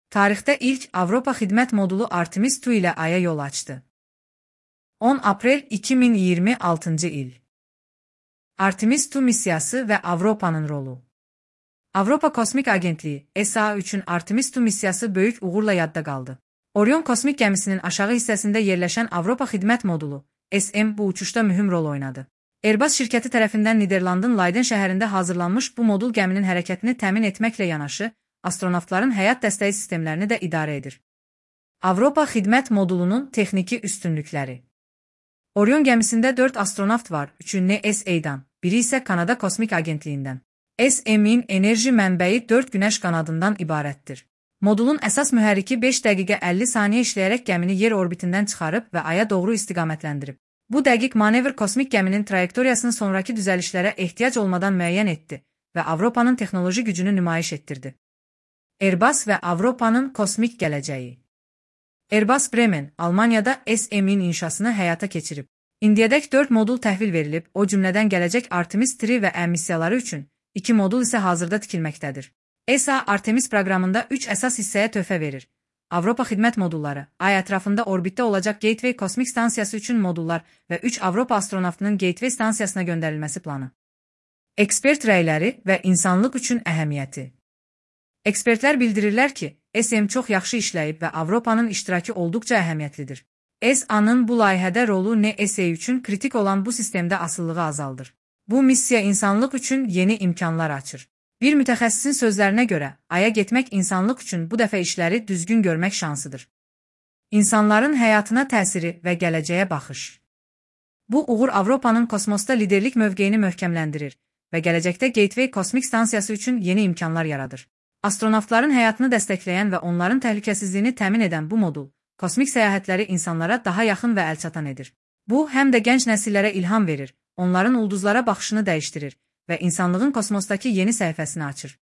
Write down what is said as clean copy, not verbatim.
Tarixdə ilk Avropa xidmət modulu Artemis II ilə Aya yol açdı. 10 aprel 2026 il. Artemis II missiyası və Avropanın rolu. Avropa Kosmik Agentliyi (ESA) üçün Artemis II missiyası böyük uğurla yadda qaldı. Orion kosmik gəmisinin aşağı hissəsində yerləşən Avropa xidmət modulu (SM) bu uçuşda mühüm rol oynadı. Airbus şirkəti tərəfindən Niderlandın Leiden şəhərində hazırlanmış bu modul gəminin hərəkətini təmin etməklə yanaşı, astronavtların həyat dəstəyi sistemlərini də idarə edir. Avropa xidmət modulunun texniki üstünlükləri. Orion gəmisində 4 astronavt var, 3-ü NSA-dan, biri isə Kanada Kosmik Agentliyindən. SM-in enerji mənbəyi 4 günəş qanadından ibarətdir. Modulun əsas mühərriki 5 dəqiqə 50 saniyə işləyərək gəmini yer orbitindən çıxarıb və Aya doğru istiqamətləndirib. Bu dəqiq manevr kosmik gəminin trayektoriyasını sonraki düzəlişlərə ehtiyac olmadan müəyyən etdi və Avropanın texnoloji gücünü nümayiş etdirdi. Airbus və Avropanın kosmik gələcəyi. Airbus Bremen, Almaniyada SM-in inşasını həyata keçirib. İndiyədək 4 modul təhvil verilib, o cümlədən gələcək Artemis III və M missiyaları üçün 2 modul isə hazırda tikilməkdədir. ESA Artemis proqramında 3 əsas hissəyə töhfə verir. Avropa xidmət modulları, Ay ətrafında orbitdə olacaq Gateway kosmik stansiyası üçün modullar və 3 Avropa astronavtının Gateway stansiyasına göndərilməsi planı. Ekspert rəyləri və insanlıq üçün əhəmiyyəti. Ekspertlər bildirirlər ki, SM çox yaxşı işləyib və Avropanın iştirakı olduqca əhəmiyyətlidir. ESA-nın bu layihədə rolu NSA üçün kritik olan bu sistemdə asılılığı azaldır. Bu missiya insanlıq üçün yeni imkanlar açır. Bir mütəxəssisin sözlərinə görə, Aya getmək insanlıq üçün bu dəfə işləri düzgün görmək şansıdır. İnsanların həyatına təsiri və gələcəyə baxış. Bu uğur Avropanın kosmosda liderlik mövqeyini möhkəmləndirir və gələcəkdə Gateway kosmik stansiyası üçün yeni imkanlar yaradır. Astronavtların həyatını dəstəkləyən və onların təhlükəsizliyini təmin edən bu modul, kosmik səyahətləri insanlara daha yaxın və əlçatan edir. Bu, həm də gənc nəsillərə ilham verir, onların ulduzlara baxışını dəyişdirir və insanlığın kosmosdakı yeni səhifəsini açır.